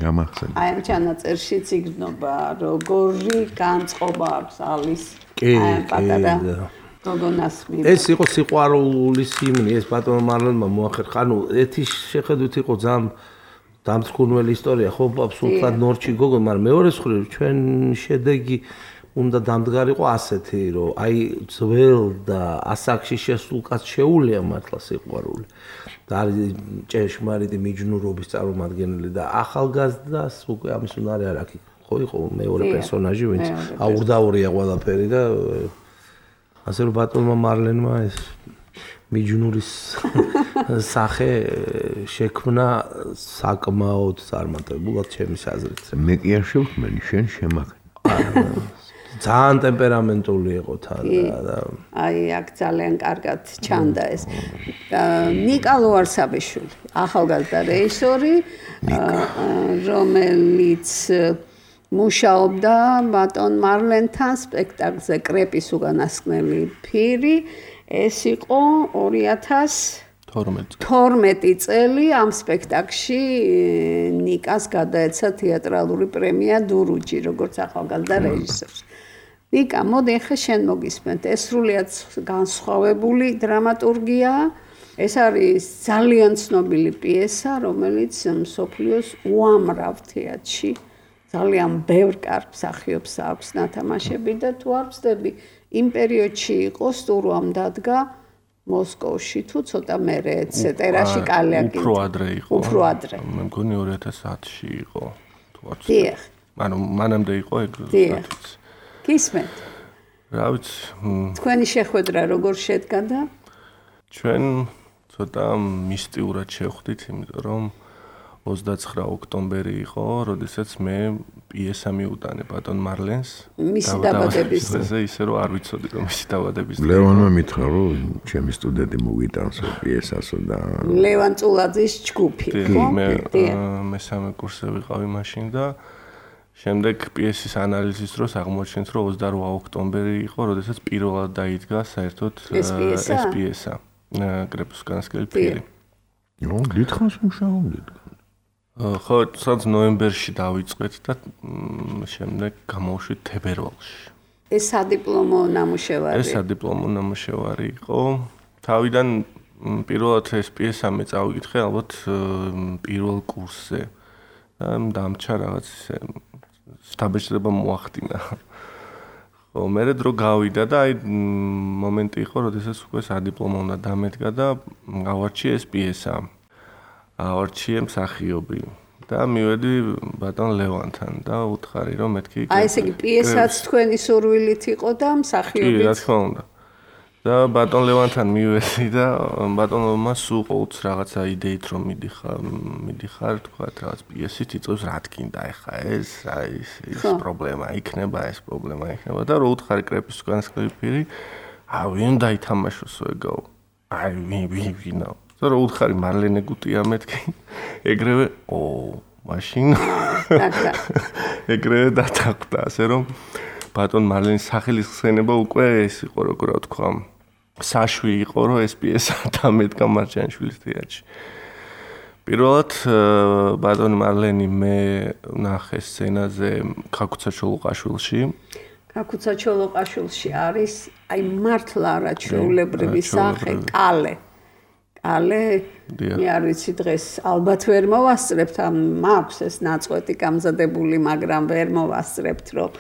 გამახსენე. აი ამ ჩანაწერში ციგნობა როგორი განწყობა აქვს ალის პატარა გოგონას მიმართ. ეს იყო სიყვარულის ჰიმნი, ეს ბატონო მარლენმა მოახერხა. ანუ ერთი შეხედვით იყო ძალიან დამწკუნველი ისტორია, ხო, აბსოლუტურად ნორჩი გოგონა, მაგრამ მეორე მხრივ ჩვენ შედეგი უნდა დამდგარიყო ასეთი, რომ აი ძველ და ასაკში შესულ კაცს შეუულია მართლა სიყვარული. და არის ჭეშმარიტი მიჯნურობის წარმომადგენელი და ახალგაზრდას უკვე ამის უნარი არ აქვს. ხო იყო მეორე პერსონაჟი, ვინც აურდაურია ყველაფერი და ასე რომ ბატონმა მარლენმა ეს მიჯნურის სახე შექმნა საკმაოდ წარმატებულად ჩემის აზრით. მე კი არ შევქმენი, შენ შემაქნე. ძალიან ტემპერამენტული იყო თან და აი აქ ძალიან კარგად ჩანდა ეს ნიკა ლუარსაბიშვილი ახალგაზრდა რეჟისორი რომელიც მუშაობდა ბატონ მარლენთან სპექტაკლზე კრეპის უკანასკნელი ფირი ეს იყო 2012 წელი ამ სპექტაკლში ნიკას გადაეცა თეატრალური პრემია დურუჯი როგორც ახალგაზრდა რეჟისორს ნიკა, მოდი ახლა შენ მოგისმენთ. ეს სრულიად განსხვავებული დრამატურგია. ეს არის ძალიან ცნობილი პიესა, რომელიც მსოფლიოს უამრავ თეატრში ძალიან ბევრ კარგ მსახიობს აქვს ნათამაშები და თუ არ ვცდები, იმ პერიოდში იყო სტურვამ დადგა მოსკოვში თუ ცოტა მერე ეტერაში კალეაკი. უფრო ადრე იყო. უფრო ადრე. მე მგონი 2010-ში იყო. თუ არ ვცდები. ანუ მანამდე იყო ეგ. გისმენთ. რა ვიცი. თქვენი შეხვედრა როგორ შედგა და? ჩვენ ცოტა მისტიურად შევხვდით, იმიტომ რომ 29 ოქტომბერი იყო, როდესაც მე პიესა მიუტანე ბატონ მარლენს. მისი დაბადების დღეზე ისე რომ არ ვიცოდი რომ მისი დაბადების დღე. ლევანმა მითხრა რომ ჩემი სტუდენტი მოვიტანს პიესასო და ლევან წულაძის ჯგუფი, ხო? მე მესამე კურსზე ვიყავი მაშინ და შემდეგ პიესის ანალიზის დროს აღმოჩნდით რომ 28 ოქტომბერი იყო, როდესაც პირველად დაიდგა საერთოდ ეს პიესა. კრეპუსკანსკელი ფირი. ნუ დიდხანს მუშაობდით. ხო, სადაც ნოემბერში დავიწყეთ და შემდეგ გამოვშვით თებერვალში. ეს სადიპლომო ნამუშევარი. ეს სადიპლომო ნამუშევარი იყო. თავიდან პირველად ეს პიესა მე წავიკითხე ალბათ პირველ კურსზე. დამჭა რაღაც ისე სტაბეჭდება მოახდინა. ხო, მე დრო გავიდა და აი მომენტი იყო, როდესაც უკვე სადიპლომო უნდა დამედგა და გავარჩიე ეს პიესა. ავარჩიე მსახიობი და მივედი ბატონ ლევანთან და უთხარი რომ მეთქი აი ესე იგი პიესაც თქვენი სურვილით იყო და მსახიობიც. კი, რა თქმა უნდა. და ბატონ ლევანთან მივედი და ბატონმა სულ ყოველთვის რაღაცა იდეით რომ მიდიხარ თქვა რაღაც პიესით იწევს რა თქინდა ეხა ეს რა ის პრობლემა იქნება ეს პრობლემა იქნება და რო უთხარი კრეპუსკანსკელი ფირი ვინ დაითამაშოსო ეგაო აი ვინო და რო უთხარი მარლენე გუტია მეთქი ეგრევე მაშინ ეგრევე დათანხმდა ასე რომ ბატონ მარლენის სახელის ხსენება უკვე ეს იყო როგორ ვთქვა საშვი იყო რომ ეს პიესა დამედგა მარჯანიშვილის თეატრში. პირველად ბატონ მარლენი მე ნახე სცენაზე ქაქუცა ჩოლოყაშვილში. ქაქუცა ჩოლოყაშვილში არის აი მართლა არაჩვეულებრივი სახე კალე. კალე მე არ ვიცი დღეს ალბათ ვერ მოვასწრებთ ამ მაქვს ეს ნაწყვეტი გამზადებული მაგრამ ვერ მოვასწრებთ რომ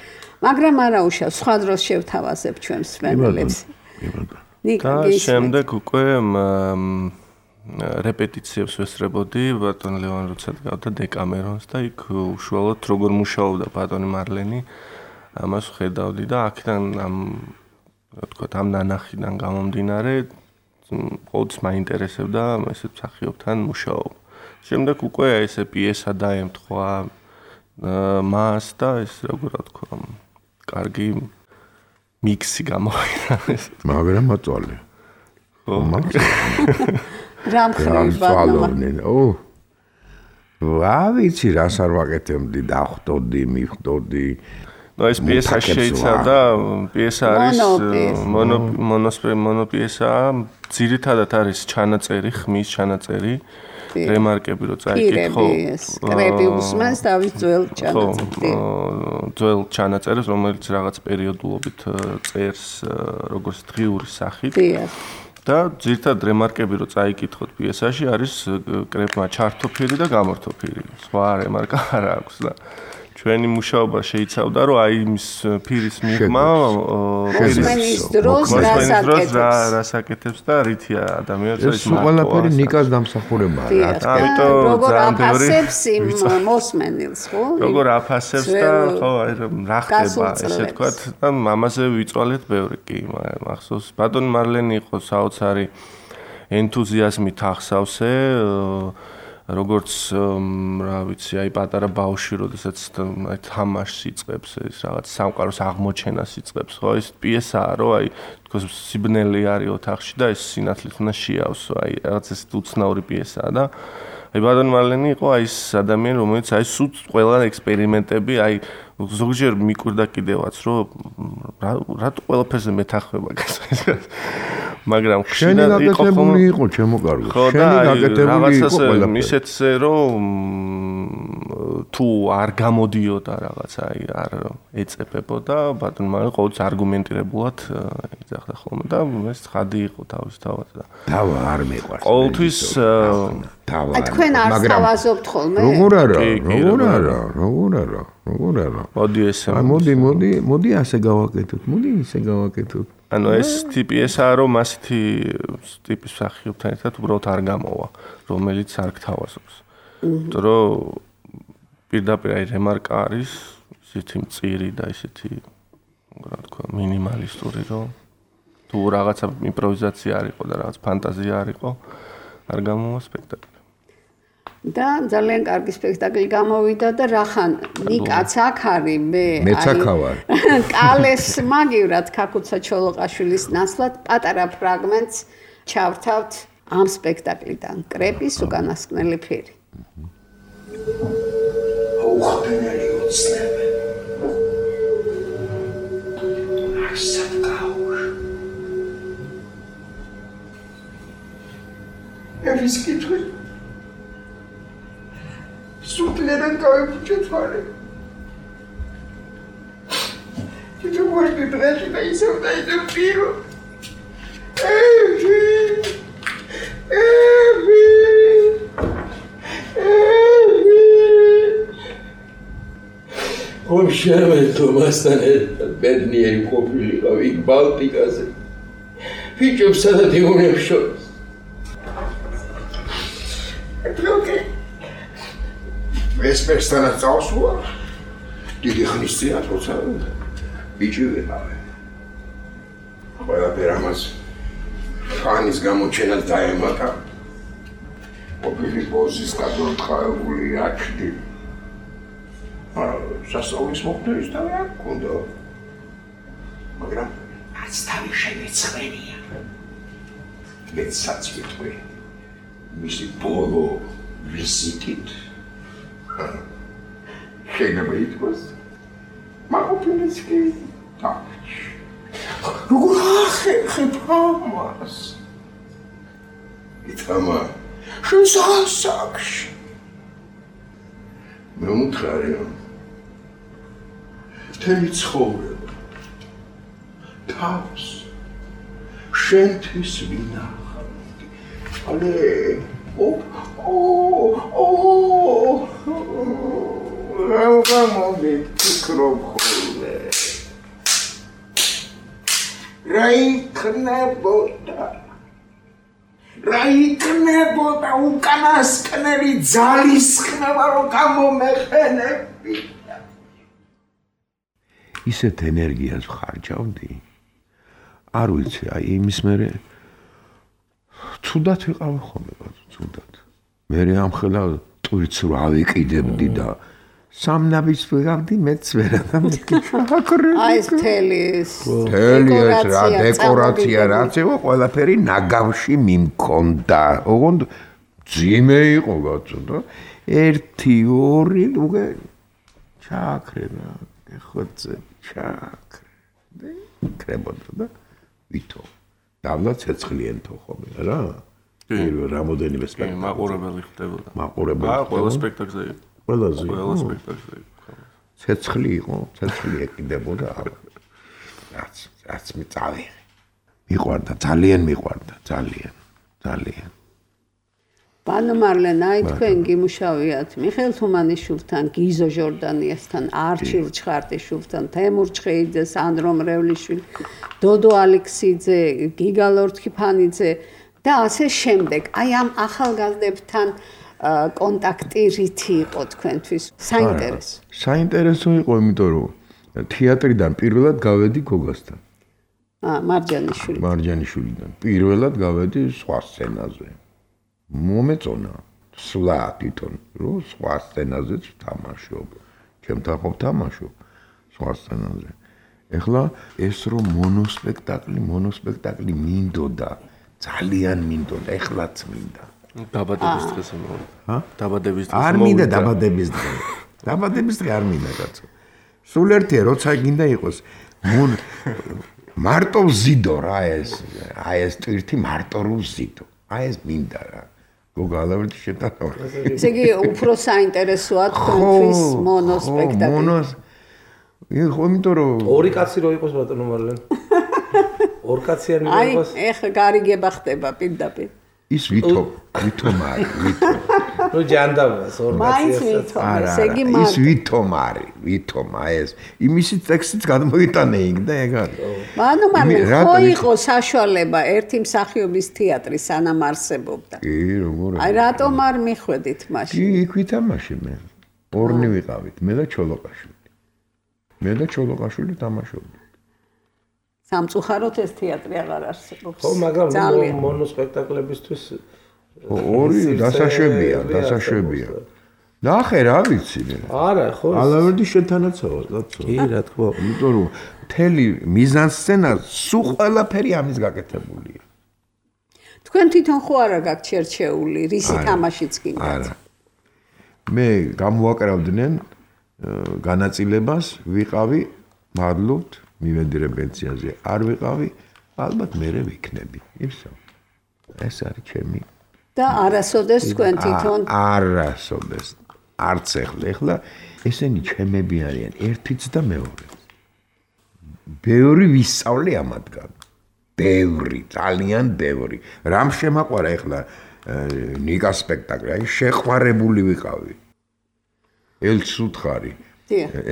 მაგრამ არა უშავს სხვა დროს შევთავაზებ ჩვენს მსმენელებს. და შემდეგ უკვე რეპეტიციებს ვესწრებოდი ბატონ ლევან როცა გავდა დეკამერონს და იქ უშუალოდ როგორ მუშაობდა ბატონი მარლენი ამას ხედავდი და აქედან ამ რა თქვა ამ ნანახიდან გამომდინარე ყოველთვის მაინტერესებდა ესე მსახიობთან მუშაობა. შემდეგ უკვე ესე პიესა დაემთხვა მას და ეს როგორ თქვა კარგი მიქსი გამოვიდა ეს. მაგრამ აწვალე. ხო. რა მხრივ რა ვიცი რას არ ვაკეთებდი დახვდოდი მივხვდოდი. ნუ ეს პიესა შეიცავდა პიესა არის მონოპიესა ძირითადად არის ჩანაწერი ხმის ჩანაწერი რემარკები რო წაიკითხო კრები უსმენს თავის ძველ ჩანაწერს ძველ ჩანაწერს რომელიც რაღაც პერიოდულობით წერს როგორც დღიური სახით და ძირითადად რემარკები რო წაიკითხოთ პიესაში არის კრებმა ჩართოფირი და გამორთოფირი სხვა რემარკა არ აქვს და ჩვენი მუშაობა შეიცავდა რომ აი იმის ფირის მიღმა მოსმენის დროს რას აკეთებს და რითია ადამიანს ის ყველაფერი ნიკას დამსახურებაა რა ამიტომ როგორ აფასებს იმ მოსმენილს ხო როგორ აფასებს და ხო აი რა ხდება ესე თქვათ და ამაზე ვიწვალეთ ბევრი კი მახსოვს ბატონ მარლენი იყო საოცარი ენთუზიაზმით ახსავსე როგორც რა ვიცი აი პატარა ბავშვი როდესაც აი თამაშს იწყებს ეს რაღაც სამყაროს აღმოჩენას იწყებს ხო ეს პიესაა რომ აი თქოს სიბნელი არის ოთახში და ეს სინათლით უნდა შეავსო აი რაღაც ეს უცნაური პიესაა და აი ბატონ მარლენი იყო აი ეს ადამიანი რომელიც აი სულ ყველა ექსპერიმენტები აი ზოგჯერ მიკვირდა კიდევაც რომ რატო ყველაფერზე მეთანხმება გასაგებია მაგრამ შენი გაკეთებული იყო ჩემო კარგო შენი გაკეთებული იყო ყველაფერი ისეთზე რომ თუ არ გამოდიოდა რაღაცა აი არ ეწებებოდა ბატონ მარლენი ყოველთვის არგუმენტირებულად იძახდა ხოლმე და ეს ცხადი იყო თავისთავად და დავა არ მეყვარს ყოველთვის აი თქვენ არ თავაზობთ ხოლმე როგორ არა მოდი ესე მოდი ასე გავაკეთოთ მოდი ისე გავაკეთოთ ანუ ეს ტიპიესაა რომ ასეთი ტიპის მსახიობთან ერთად უბრალოდ არ გამოვა რომელიც არ გთავაზობს იმიტომ რომ პირდაპირ აი რემარკა არის ისეთი მწირი და ისეთი რა თქვა, მინიმალისტური რომ თუ რაღაცა იმპროვიზაცია არ იყო და რაღაც ფანტაზია არ იყო, არ გამოვა სპექტაკლი. და ძალიან კარგი სპექტაკლი გამოვიდა და რახან ნიკაც აქ არის მეც აქ ვარ. კალეს მაგივრად ქაქუცა ჩოლოყაშვილის ნაცვლად პატარა ფრაგმენტს ჩავთავთ ამ სპექტაკლიდან კრეპის უკანასკნელი ფერი. აუხდენელი უცნები. ასად გაუშ. ევის კითხვა სულთან გავიფუჭეთ ვარე. თვითონ ვარდი დღეში და ისევ და ისევ პირო. ხომ შემეთო მასთან ერთად ბედნიერი ყოფილიყავ იქ ბალტიკაზე. ფიჭებსა და დიუნებს შორის. ვესპერსთანაც წავსულა, დიდი ხნის წინ როცა ბიჭი ვიყავი. ყველაფერ ამას ხანის გამოჩენას დაემატა. ყოფილი ბოზის გადმოთხაებული აჩდი. სასწაულის მოხდერის თავი არ გქონდა. მაგრამ არც თავი შემეცხრენია. მეცაც ვიტყვი, მისი ბოლო ვიზიტით შეიძლება ითქვას, მაყოფილიც კი დავჭი. როგორ ახერხებ ამას? ითამა, შენ სასაკში. მე უმთხარია, მთელი ცხოვრება, თავს, შენთვის ვინახავ. ალე, გამომი ფიქრობ ხოლმე. რა იქნებოდა უკანასკნელი ძალის ხნება რომ გამომეყენები. ისეთ ენერგიას ხარჯავდი. არ ვიცი, აი იმის მერე ცუდად ვიყავი ხოლმე, ცუდად. მე ამხელა ტვირთს რო ავიკიდებდი და სამნაბის ვიღავდი, მეც ვერა და აი ეს თელის რა დეკორაცია რაც იყო, ყველაფერი ნაგავში მიმქონდა. ოღონდ ძიმე იყო გაწოდა. 1 2 უკვე ჩააქრება, ეხოце ჩააქრე. კრებოდა და ვითო. დავლა ცეცხლიენთო ხოლმე რა. პირველ რამოდენიმე სპექტაკლი. მაყურებელი ხდებოდა. მაყურებელი. ყველა სპექტაკლზე იყო. ყველა სპექტაკლზე იყო. ცეცხლი იყო, ცეცხლი ეკიდებოდა. რაც მიწავიღე. მიყვარდა, ძალიან მიყვარდა, ძალიან. ბანო მარლენა, აი თქვენ გიმუშავიათ მიხეილ თუმანიშვილთან, გიზო ჟორდანიასთან, არჩილ ჩხარტიშვილთან, თემურ ჩხეიძე, სანდრო მრევლიშვილი, დოდო ალექსიძე, გიგა ლორთქიფანიძე და ასე შემდეგ. აი ამ ახალგაზრდებთან კონტაქტი რითი იყო თქვენთვის? საინტერესო. საინტერესო იყო, იმიტომ რომ თეატრიდან პირველად გავედი გოგასთან. მარჯანიშვილიდან. პირველად გავედი სხვა სცენაზე. მომეწონა სვლა თვითონ რომ სხვა სცენაზეც ვთამაშობ. ჩემთან ხომ ვთამაშობ სხვა სცენაზე. ეხლა ეს რომ მონოსპექტაკლი მინდოდა, ძალიან მინდოდა, ეხლაც მინდა. დაბადების დღეს მოვიდა. დაბადების დღეს არ მინდა დაბადების დღე. დაბადების დღე არ მინდა კაცო. სულ ერთია როცა გინდა იყოს. მარტო ვზიდო რა ეს. აი ეს ტვირთი მარტო რო ვზიდო. აი ეს მინდა რა. გოგალავერტი შეტანა. ესე იგი უფრო საინტერესოა თქვენთვის მონოსპექტაკლი. იმიტომ რომ ორი კაცი რო იყოს ბატონო მარლენ. ორ კაციანი რო იყოს. აი ეხლა გარიგება ხდება პირდაპირ. ის ვითომარი. ნუ ჯანდაბას ორ კაცი. ის ვითომარი, ეს. იმისი ტექსტიც გადმოიტანე იქ და ეგ არის. ანუ ხო იყო საშუალება ერთი მსახიობის თეატრი სანამ არსებობდა. კი, როგორ. აი რატომ არ მიხვედით მაშინ? კი, იქ ვითამაშე მე. ორნი ვიყავით, მე და ჩოლოყაშვილი. მე და ჩოლოყაშვილი თამაშობდით. სამწუხაროდ ეს თეატრი აღარ არსებობს. ხო, მაგრამ მონოსპექტაკლებისთვის ორი დასაშვებია. ნახე რა ვიცი. არა, ხო. ალავერდი შენთანაცაა, კაცო. კი, რა თქმა უნდა. იმიტომ რომ მთელი მიზანსცენა სულ ყველაფერი ამის გაკეთებულია. თქვენ თვითონ ხო არა გაქვთ შერჩეული, რისი თამაშიც გინდათ? არა. მე გამოვაკრავდნენ განაწილებას, ვიყავი, მადლობთ, მივედრე პენსიაზე. არ ვიყავი, ალბათ მერე ვიქნები. ისა. ეს არის ჩემი. და არასოდეს თქვენ თვითონ არასოდეს. არც ეხლა ესენი ჩემები არიან, ერთიც და მეორეც. ბევრი ვისწავლე ამათგან. ბევრი, ძალიან ბევრი. რამ შემაყვარა ეხლა ნიკას სპექტაკლი, აი შეყვარებული ვიყავი. ელცუთხარი.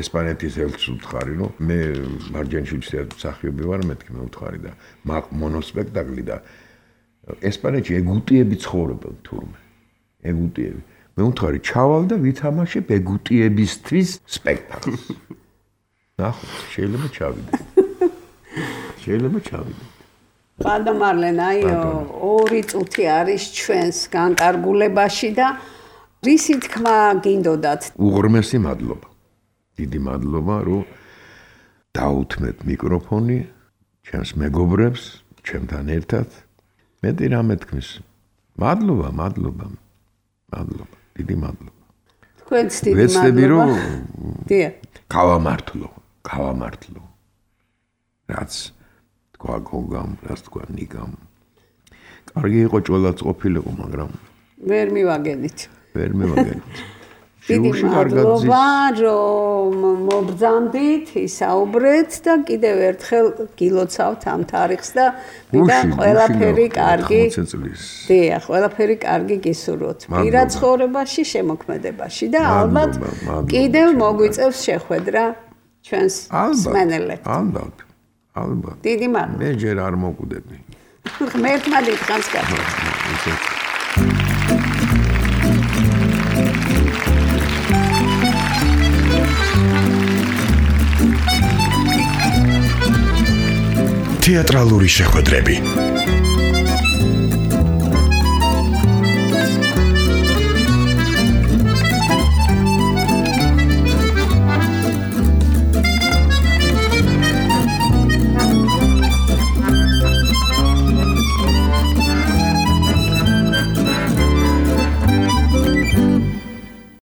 ესპანეთის ელცუთხარი, ნუ მე მარჯანიშვილის მსახიობი ვარ, მეთქი მე უთხარი და მონოსპექტაკლი და ესპანეთში ეგუტიები ცხოვრობენ თურმე. ეგუტიები. მე უთხარი ჩავალ და ვითამაშებ ეგუტიებისთვის სპექტაკლს. ნახო, შეიძლება ჩავიდე. ბატონ მარლენ, აი 2 წუთი არის ჩვენს განკარგულებაში და რისი თქმა გინდოდათ? უღრმესი მადლობა. დიდი მადლობა, რომ დაუთმეთ მიკროფონი ჩემს მეგობრებს, ჩემთან ერთად. მეტი რამე თქვის. მადლობა. დიდი მადლობა. თქვენც დიდი მადლობა. ვეცდები რომ დიახ. გავამართლო. რაც თქვა გოგამ, რაც თქვა ნიკამ. კარგი იყო ჭოლაც ყოფილიყო, მაგრამ ვერ მივაგენით. დიდი მადლობა, რომ მობრძანდით, ისაუბრეთ და კიდევ ერთხელ გილოცავთ ამ თარიღს და მიდან ყველაფერი კარგი. დიახ, ყველაფერი კარგი გისურვოთ. პირად ცხოვრებაში, შემოქმედებაში და ალბათ კიდევ მოგვიწევს შეხვედრა ჩვენს მსმენელებს. ალბათ. დიდი მადლობა. მე ჯერ არ მოკვდები. ღმერთმა დიდხანს გაკეთე. თეატრალური შეხვედრები